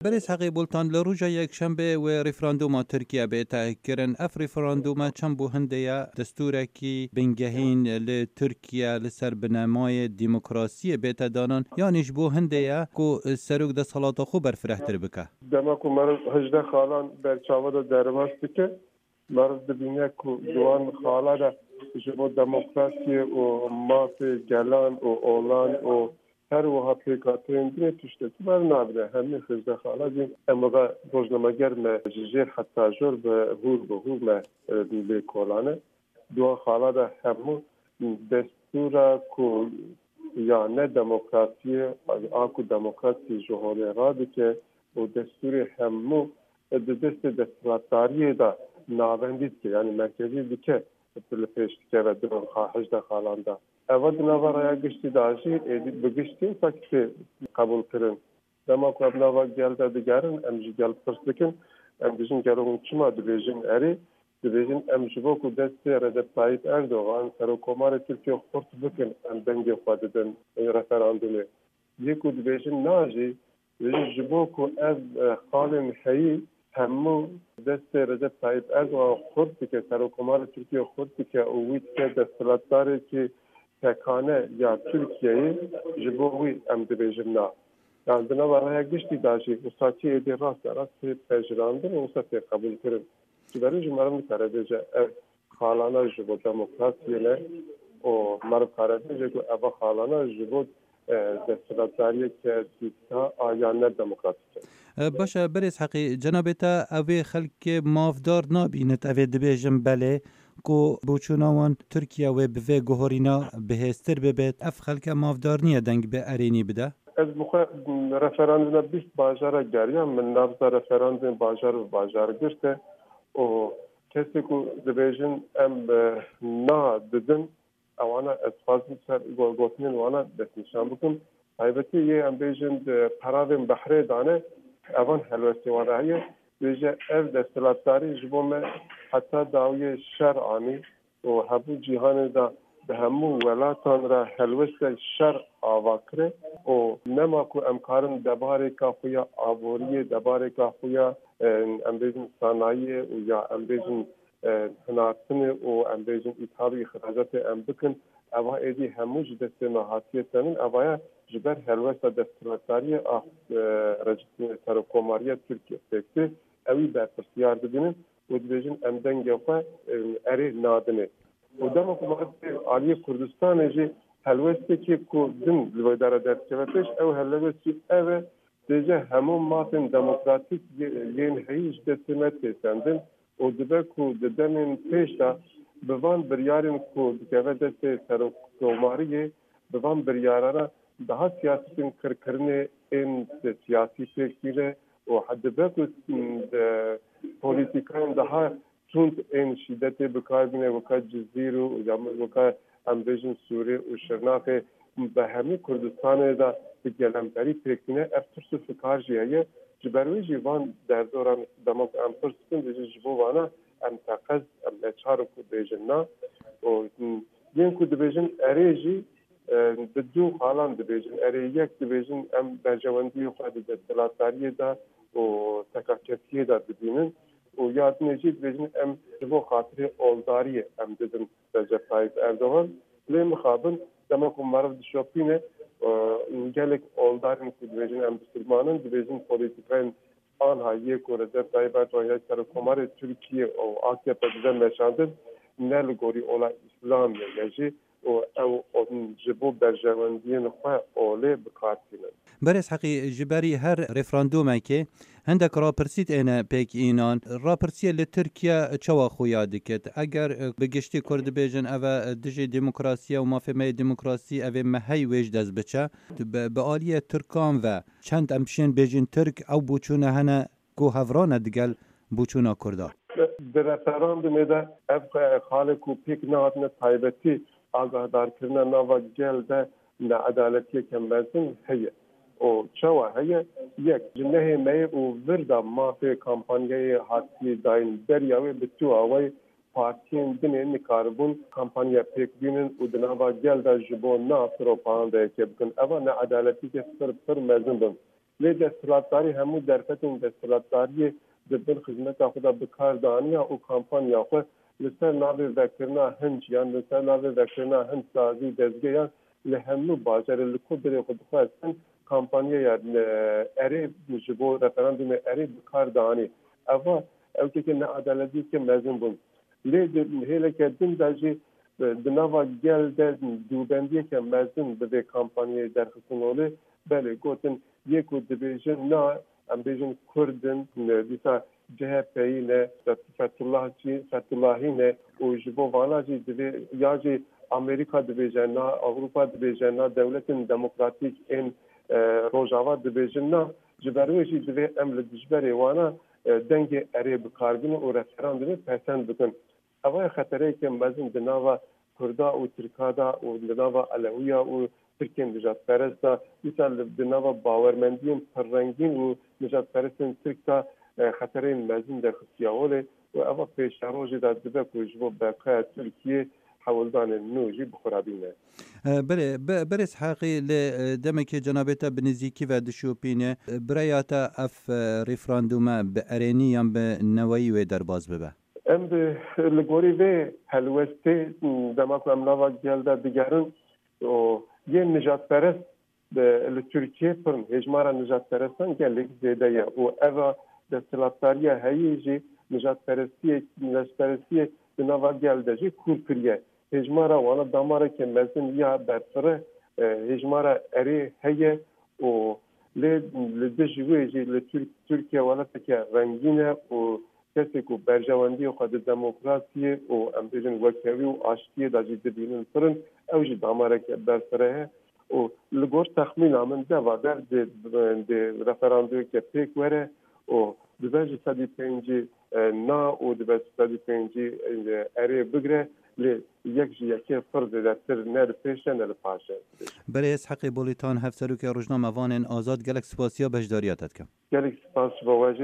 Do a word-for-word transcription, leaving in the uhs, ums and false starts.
Berêz Heqî Bultan, li roja Yekşembê wê referanduma Tirkiye bête kirin. Ev referanduma çend bo hindê ye destûrekî bingehîn li Tirkiye li ser binemayê demokrasiyê bête danan, yanî ji bo hindê ye ku serok desthilata xwe berfirehtir bike? Dema ku meriv hejdeh xalan ber çava de derbas dike, meriv dibîne ku di wan xala de ji bo demokrasiyê û mafê gelan û olan û her wiha pêkhateyên din tiştekî bernabire. Hemî hejdeh xala jî em weke rojnameger me ji jêr heta jor bi hûr bi hûr me, e, lê kolane. Di wan xala de hemû destûra ku ya ne demokrasiyê, a ku demokrasiyê ji holê radike û destûrê hemû di destê desthilatdariyê de navendî dike, yanî merkezî dike, li pêş dikeve di van hejdeh xalan de. Eva di nava raya giştî de jî êdî bi giştî wisa tê qebûlkirin. Dema ku em nava gel de digerin, em ji gel pirs dikin, em dijin gelo hûn çima dibêjin erê? Dibêjin em ji bo ku destê Recep Tayyip Erdogan, serokkomarê Tirkiye xurt bikin, em dengê xwe didin referandumê. Yê ku dibêjin na jî, dibêjin ji bo ku ev, e, xalên heyî hemû destê Recep Tayyip Erdogan xurt dike, serokkomarê Tirkiye xurt dike û wî dike desthilatdarekî tekane ya Tirkiyeyê, ji bo wî em dibêjin na. Yan di nava raya giştî de jî wisa tê êdî rast be rast tê pejirandin û wisa tê qebûlkirin. Ji ber wî jî meriv nikare bêje ev xalana ji bo demokrasiyê ne û meriv kare bêje ku eva xalana ji bo, e, desthilatdariyeke dîkta a ya ne demokratîk e. E, baş e, berêz Heqî, cenabê te evê xelkê mafdar nabînit, evê dibêjin belê ku boçûna wan Tirkiye wê bi vê guhorîna bihêztir bibêt. Ev xelke mafdar niye deng bi erênî bide? Ez bi xwe referanduma bîst bajara geriyam, min nabza referandumê bajar bi bajar girte û kesê ku dibêjin em, e, na didin, ewana ez dixwazim ser go-, gotinên wana destnîşan bikim. Taybetî yê em bêjin di peravên behrê dane, evan helwestê wan re heye. Bêje ev desthilatdarî ji bo me heta dawiyê şer anî û hebû cîhanê de bi hemû welatan re helweste şer ava kire û nema ku em karin debarêka xwe ya aboriyê, debarêka xwe ya, e, em bêjin sanayiyê û ya em bêjin, e, hinartinê û em bêjin îthal û îxracatê em bikin, eva êdî hemû ji destê me hatiye senin, evaya ji ber helwesta desthilatdariyê a, e, Recep, serokkomariya Tirkiye pêk tê, ewî berpirsiyar dibînin û dibêjin em dengê xwe, e, erê nadinê. Û dema ku meriv tê aliyê Kurdistanê jî helwestekî ku din li wê dera derdikeve pêş, ew helwestî ev e, dêje hemû mafên demokratîk yê-, yên heyî ji destê me tê sendin û dibe ku di demên pêş de bi van biryarên ku dikeve destê serokkomariyê, bi van biryarana daha siyasetên qirkirinê ên siyasî pêk tîne û dibe ku, m, de, polîtîkayên daha tund ên şîdetê bi kar bîne, weka Cizîr û ya weka em bêjin Sûrê û Şirnexê, bi hemî Kurdistanê de bi gelemperî pêk tîne. Ev tirs û fikar jî heye. Ji ber wê jî van derdoran dema ku em pirs dikin, dibêjin ji bo vana em teqez, em neçar in ku bêjin na. Û, m, yên ku dibêjin erê jî, e, bi du xalan dibêjin. Erê yek dibêjin em berjewendiyê xwe di desthilatdariyê de û tekakesiyê de dibînin û ya dinê jî dibêjin em ji bo xatirê oldariyê em didin Recep Tayyip Erdogan. Lê mixabin dema ku meriv dişopîne, e, gelek oldarên ku dibêjin em bisilman in, dibêjin polîtîkayên anha yê ku Recep Tayyip Erdogan ya serokkomarê Tirkiye û A K P dide meşandin, ne li gorî ola Îslamê ye jî û ew ji bo berjewendiyên xwe olê bi kar tînin. Berêz Heqî, ji berî her referandûmekê hindek rapirsî têne pêk înan. Rapirsiyê li Tirkiye çawa xuya dikit? Eger, e, bi giştî Kurd dibêjin ev e dijî demokrasiye û mafê me yê demokrasî, ev ê me hey wê ji dest biçe. Bi, bi aliyê Tirkan ve çend em şên bêjin Tirk ew boçûne hene ku hevrane digel boçûna Kurda? Di referandumê de ev xalê ku pêk nehatine taybetî agahdarkirina nava gel de needaletiyeke mezin heye. Û çawa heye? Yek, ji nehê meyê û vir de mafê kampanyayê hatiye dayîn beriya wê bi tu awayî partiyên dinê nikaribûn kampanya pêk bînin û di nava gel de ji bo na propagandayeke bikin. Eva needaletiyeke pir, pir mezin bin. Lê desthilatdarî hemû derfetên desthilatdariyê di bin xizmeta xwe de bi kar daniya û kampanya xwe li ser navê vekirina hin ciyan, li ser navê vekirina hin sazî û dezgeyan li hemû bajarê li ku birê xwe dixwestin kampanyeya, e, erê ji bo referandumê erê bi kar danî. Eva ew têkê needaletiyeke mezin bûn. Lê di hêleke din de jî, e, di nava gel de dûbendiyeke mezin bi vê kampanyayê derxistin holê. Belê, gotin, yê ku dibêjin na, em bêjin Kurd in, e, dîsa C H P'yî ne, Fet-, Fethullahçî, Fethullahî ne û ji bo vana jî divê, ya jî Amerîka dibêje na, Ewropa dibêje na, dewletên demokratîk ên, e, Rojava dibêjin na, ji ber wê jî divê em li dijberê wana, e, dengê erê bi kar bînin û referandumê pesend bikin. Ev ye xetereyeke mezin di nava Kurda û Tirka de û di nava Elewiya û Tirkên nijadperest de, dîsa li, di nava bawermendiyên pirrengîn û nijadperestên Tirk de, e, xetereyên mezin derxistiye holê û eva pêşerojê de dibe ku ji bo beqaya Tirkiyê hewldanên nû jî bi xwe re bîne. E, berê, be-, berêz Heqî, lê, e, demekê cenabê te bi nêzîkî ve dişopîne. E, bi raya te ev, e, referandume bi erênî yan bi neweyî wê derbas bibe? Em bi, li gorî vê helwestê, dema ku em nava gel de digerin, û yên nijadperest bi, li Tirkiyê pir in. Hêjmara nijadperestan gelek zêde ye û eva desthilatdariya heyî jî nijadperestiyê, nijadperestiyê di nava gel de jî kûr kiriye. Hêjmara wana damareke mezin ya berfireh, e, hêjmara erê heye û lê li dijî wê jî li Tirk-, Tirkiye welateke rengîn e û kesê ku berjewendiyê xwe di demokrasiyê û, em bêjin, wekhevî û aştiyê de jî dibînin pir in, ew jî damareke berfireh e û li gor texmîna min deva der di, di referandumeke pêk were û dibe ji sedî pêncî, e, na û dibe ji sedî pêncî, e, erê bigre, lê yek ji yekê pir zêdetir ne li pêş e, ne li paş e. Berêz Heqê Bolîtan, Hevserokê Rojnamevanên Azad, gelek spasiya beşdariya te dikim. Gelek spas ji bo we jî,